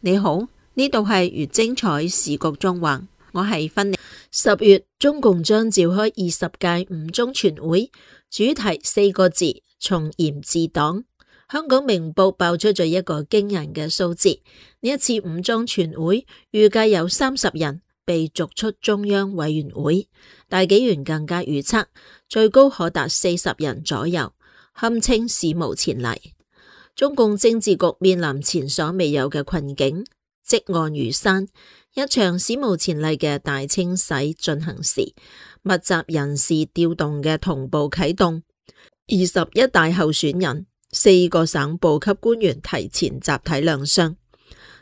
你好，呢度係粵精彩時局縱橫，我係芬妮。10月，中共將召開20屆五中全會，主題4個字：從嚴治黨。香港明報爆出咗一個驚人嘅數字，呢一次五中全會預計有30人被逐出中央委員會，大紀元更加預測最高可達40人左右，堪稱史無前例。中共政治局面臨前所未有嘅困境，積案如山，一場史無前例嘅大清洗進行時，密集人事調動嘅同步啟動，21大候選人、4個省部級官員提前集體亮相。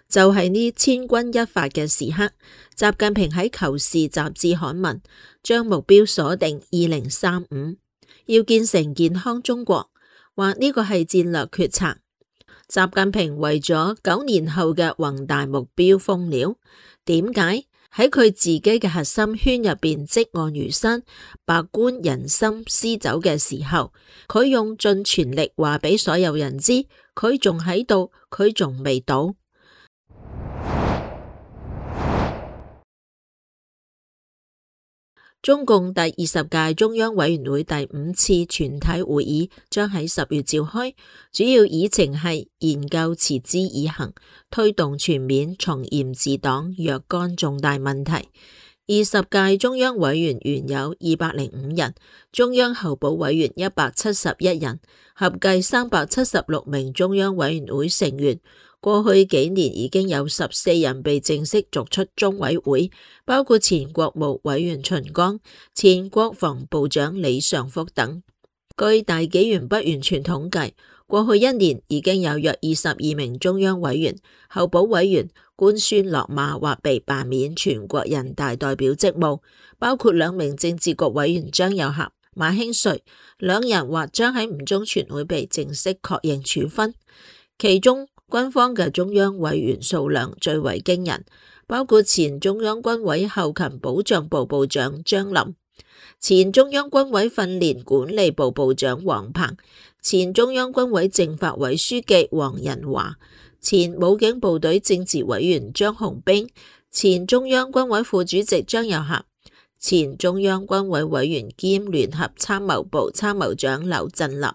就係呢千鈞一髮嘅時刻，習近平喺《求是》雜誌刊文，將目標鎖定2035，要建成健康中國，話呢個係戰略決策。習近平為咗9年後嘅宏大目標瘋了，點解喺佢自己嘅核心圈入邊積案如山、百官人心思走嘅時候，佢用盡全力話俾所有人知，佢仲喺度，佢仲未倒。中共第20屆中央委員會第5次全體會議將喺10月召開，主要議程係研究持之以恆，推動全面從嚴治黨若干重大問題。20屆中央委員原有205人，中央候補委員171人，合計376名中央委員會成員。過去幾年已經有14人被正式逐出中委會，包括前國務委員秦剛、前國防部長李尚福等。據大紀元不完全統計，過去1年已經有約22名中央委員、候補委員官宣落馬或被罷免全國人大代表職務，包括2名政治局委員張又俠、馬興瑞，2人或將喺五中全會被正式確認處分。其中軍方嘅中央委員數量最為驚人，包括前中央軍委後勤保障部部長張林、前中央軍委訓練管理部部長王鵬、前中央軍委政法委書記黃仁華、前武警部隊政治委員張紅兵、前中央軍委副主席張又俠、前中央軍委委員兼聯合參謀部參謀長劉振立、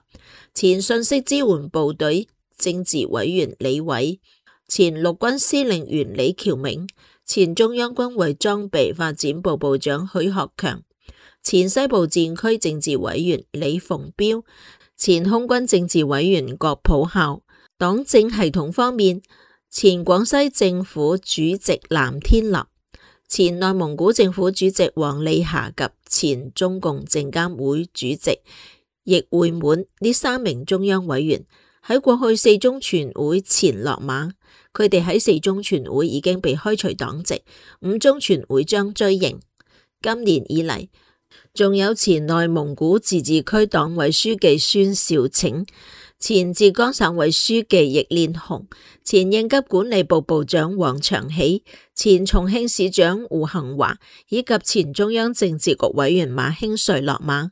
前信息支援部隊政治委員李偉、前陸軍司令員李喬銘、前中央軍委裝備發展部部長許學強、前西部戰區政治委員李逢彪、前空軍政治委員郭普孝。黨政系統方面，前廣西政府主席藍天立、前內蒙古政府主席王利霞及前中共證監會主席易會滿呢3名中央委員喺過去4中全會前落馬，佢哋喺4中全會已經被開除黨籍，五中全會將追認。今年以嚟，仲有前內蒙古自治區黨委書記孫兆晴、前浙江省委書記易煉紅、前應急管理部部長王長喜、前重慶市長胡恒華以及前中央政治局委員馬興瑞落馬。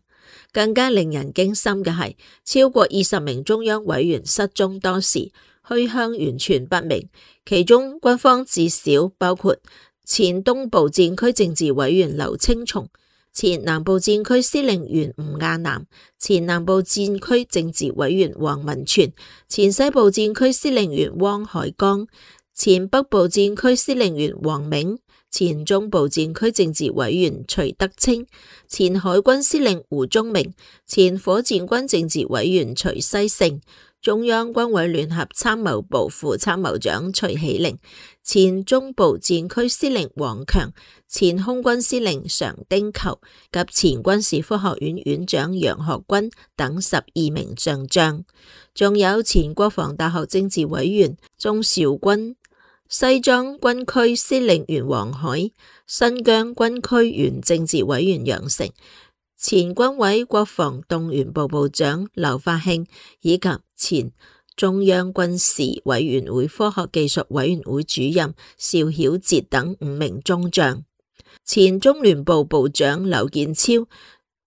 更加令人驚心嘅係，超過20名中央委員失蹤多時，去向完全不明。其中軍方至少包括前東部戰區政治委員劉青松、前南部戰區司令員吳亞南、前南部戰區政治委員王文全、前西部戰區司令員汪海剛、前北部戰區司令員王明、前中部戰區政治委員徐德清、前海軍司令胡宗明、前火箭軍政治委員徐西盛、中央軍委聯合參謀部副參謀長徐喜玲、前中部戰區司令王強、前空軍司令常丁球及前軍事科學院院長楊學軍等12名上將，仲有前國防大學政治委員鍾兆軍、西藏軍區司令員王海、新疆軍區原政治委員楊成、前軍委國防動員部部長劉發慶以及前中央軍事委員會科學技術委員會主任邵曉哲等5名中將，前中聯部部長劉建超、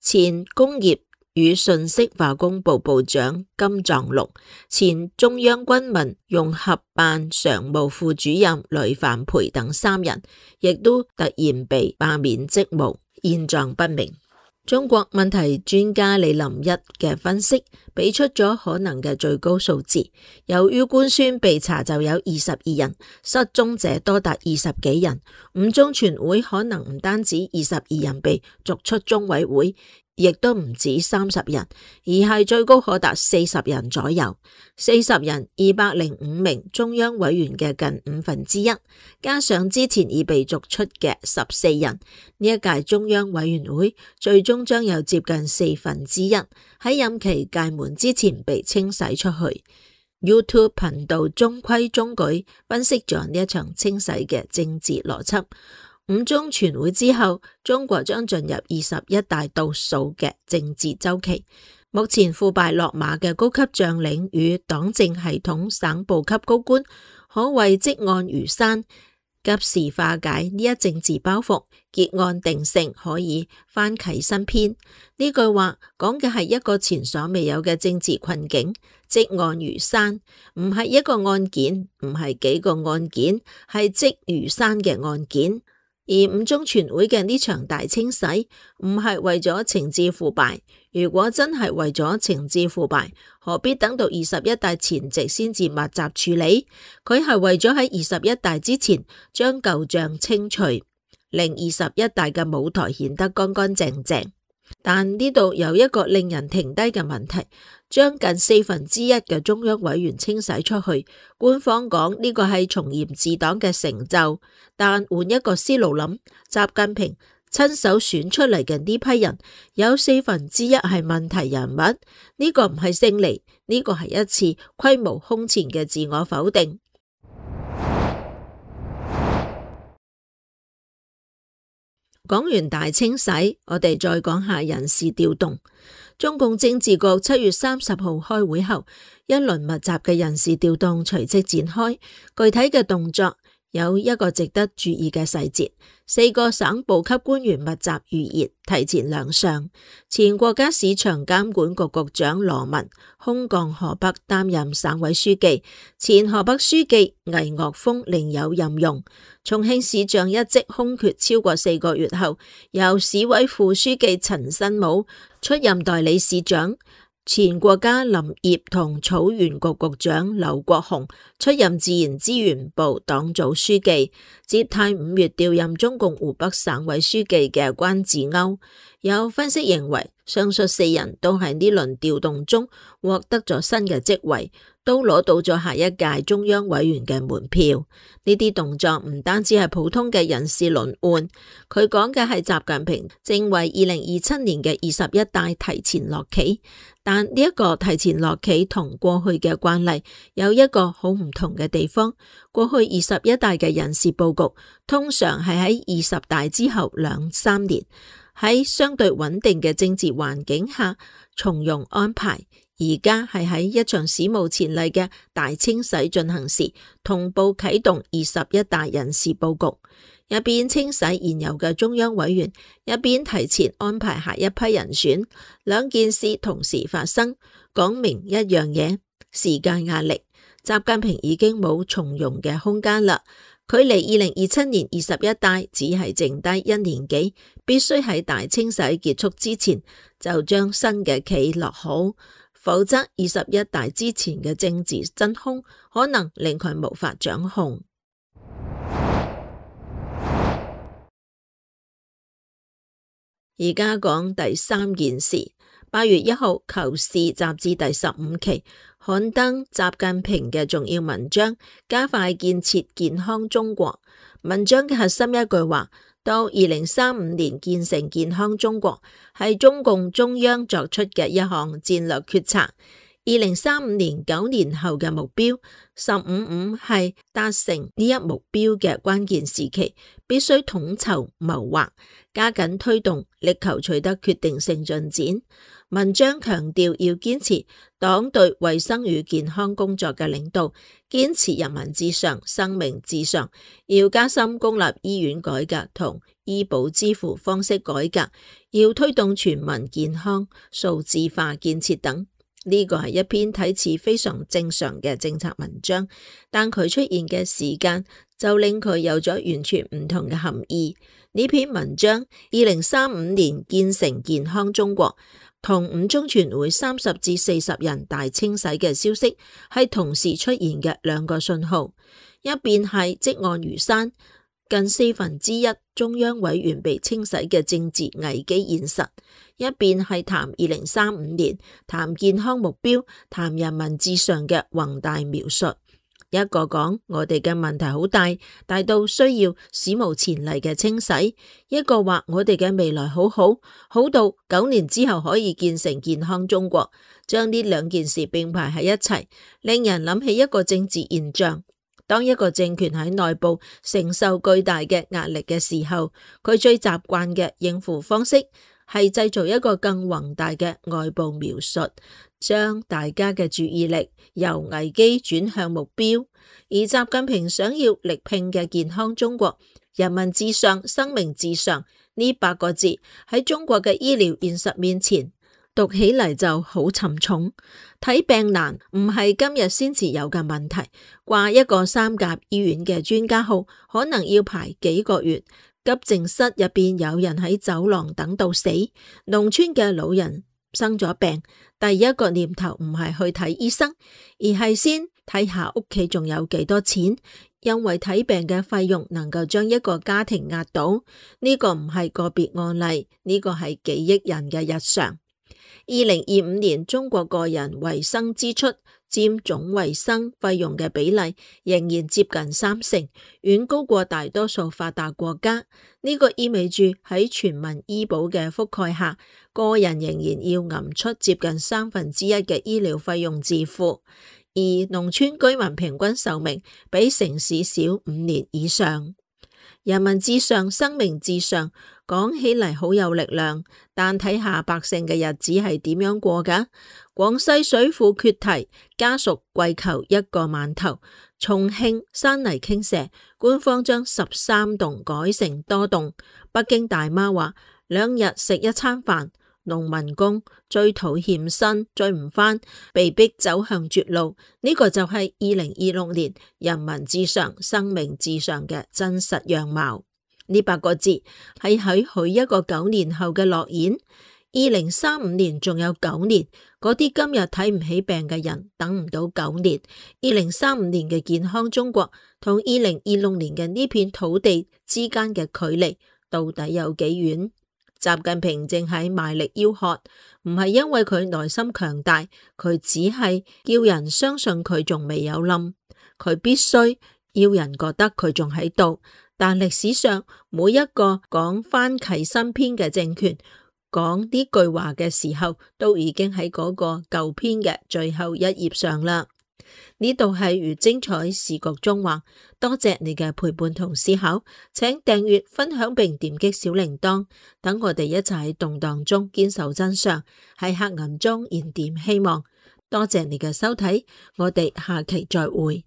前工業與信息化工部部長金藏龍、前中央軍民融合辦常務副主任呂范培等3人，亦都突然被罷免職務，現狀不明。中國問題專家李林一嘅分析，俾出咗可能嘅最高數字。由於官宣被查就有22人，失蹤者多達20幾人，五中全會可能唔單止22人被逐出中委會，亦都唔止30人，而係最高可達40人左右。40人，205名中央委員嘅近1/5，加上之前已被逐出嘅14人，呢一屆中央委員會最終將有接近1/4喺任期屆滿之前被清洗出去。YouTube 頻道中規中矩分析咗呢一場清洗嘅政治邏輯。五中全會之後，中國將進入21大倒數嘅政治週期。目前腐敗落馬嘅高級將領與黨政系統省部級高官，可謂積案如山，及時化解呢一政治包袱，結案定性，可以翻啟新篇。呢句話講嘅係一個前所未有嘅政治困境，積案如山，唔係一個案件，唔係幾個案件，係積如山嘅案件。而五中全會嘅呢場大清洗，唔係為咗懲治腐敗。如果真係為咗懲治腐敗，何必等到21大前夕先至密集處理？佢係為咗喺21大之前將舊賬清除，令21大嘅舞台顯得乾乾淨淨。但呢度有一個令人停低嘅問題，將近1/4嘅中央委員清洗出去，官方講呢個係從嚴治黨嘅成就，但換一個思路諗，習近平親手選出嚟嘅呢批人，有1/4係問題人物，呢個唔係勝利，呢個係一次規模空前嘅自我否定。講完大清洗，我哋再講下人事調動。中共政治局7月30號開會後，一輪密集嘅人事調動隨即展開。具體嘅動作有一個值得注意嘅細節，4個省部級官員密集預熱，提前亮相。前國家市場監管局局長羅文空降河北擔任省委書記，前河北書記魏岳峰另有任用。重慶市長一職空缺超過4個月後，由市委副書記陳新武出任代理市長。前國家林業同草原局局長劉國雄出任自然資源部黨組書記，接替5月調任中共湖北省委書記嘅關志歐。有分析認為，上述4人都喺呢輪調動中獲得咗新嘅職位，都攞到咗下一屆中央委員嘅門票。呢啲動作唔單止係普通嘅人事輪換，佢講嘅係習近平正為2027年嘅21大提前落棋。但呢一個提前落棋同過去嘅慣例有一個好唔同嘅地方。過去21大嘅人事佈局通常係喺20大之後2-3年，喺相對穩定嘅政治環境下從容安排。而家係喺一場史無前例嘅大清洗進行時，同步啟動21大人事佈局，一邊清洗現有嘅中央委員，一邊提前安排下一批人選，兩件事同時發生，講明一樣嘢：時間壓力。習近平已經冇從容嘅空間啦，距離2027年21大只係剩低1年幾，必須喺大清洗結束之前就將新嘅棋落好，否則21大之前嘅政治真空可能令佢無法掌控。而家講第3件事，8月1號《求是》雜誌第15期刊登習近平嘅重要文章，加快建設健康中國。文章嘅核心一句話，到2035年建成健康中國，係中共中央作出嘅一項戰略決策。2035年9年後嘅目標，15-5係達成呢一目標嘅關鍵時期，必須統籌謀劃，加緊推動，力求取得決定性進展。文章強調要堅持黨對衛生與健康工作嘅領導，堅持人民至上、生命至上，要加深公立醫院改革同醫保支付方式改革，要推動全民健康、數字化建設等。呢個係一篇睇似非常正常嘅政策文章，但佢出現嘅時間就令佢有咗完全唔同嘅含義。呢篇文章2035年建成健康中國，同五中全會30至40人大清洗嘅消息係同時出現嘅兩個信號，一邊係積案如山，近1/4中央委員被清洗嘅政治危機現實，一邊係談2035年、談健康目標、談人民至上嘅宏大描述。一個講我哋嘅問題好大，大到需要史無前例嘅清洗；一個話我哋嘅未來好好，好到9年之後可以建成健康中國。將呢兩件事並排喺一齊，令人諗起一個政治現象。當一個政權喺內部承受巨大嘅壓力嘅時候，佢最習慣嘅應付方式係製造一個更宏大嘅外部描述，將大家嘅注意力由危機轉向目標。而習近平想要力拼嘅健康中國、人民至上、生命至上呢8個字喺中國嘅醫療現實面前，讀起嚟就好沉重。睇病難唔係今日先至有嘅問題，掛一個3甲醫院嘅專家號可能要排幾個月，急症室入邊有人喺走廊等到死，農村嘅老人生咗病，第一個念頭唔係去睇醫生，而係先睇下屋企仲有幾多錢，因為睇病嘅費用能夠將一個家庭壓倒。呢個唔係個別案例，呢個係幾億人嘅日常。2025年中國個人衛生支出佔總衛生費用嘅比例仍然接近30%，遠高過大多數發達國家。呢個意味住喺全民醫保嘅覆蓋下，個人仍然要揞出接近1/3嘅醫療費用自付，而農村居民平均壽命比城市少5年以上。人民至上，生命至上，講起嚟好有力量，但睇下百姓嘅日子係點樣過㗎？廣西水庫決堤，家屬跪求1個饅頭；重慶山泥傾瀉，官方將13棟改成多棟；北京大媽話2日食1餐飯。農民工追討欠薪追唔返，被逼走向絕路。呢個就係2026年人民至上、生命至上嘅真實樣貌。呢8個字係喺許一個9年後嘅諾言。2035年仲有9年，嗰啲今日睇唔起病嘅人等唔到9年。2035年嘅健康中國同2026年嘅呢片土地之間嘅距離到底有幾遠？習近平正喺賣力吆喝，唔係因為佢內心強大，佢只係叫人相信佢仲未有冧，佢必須要人覺得佢仲喺度。但歷史上每一個講翻啟新篇嘅政權，講呢句話嘅時候，都已經喺嗰個舊篇嘅最後一頁上啦。呢度係如精彩時局中話，多謝你嘅陪伴同思考，請訂閱、分享並點擊小鈴鐺，等我哋一齊喺動盪中堅守真相，喺黑暗中燃點希望。多謝你嘅收睇，我哋下期再會。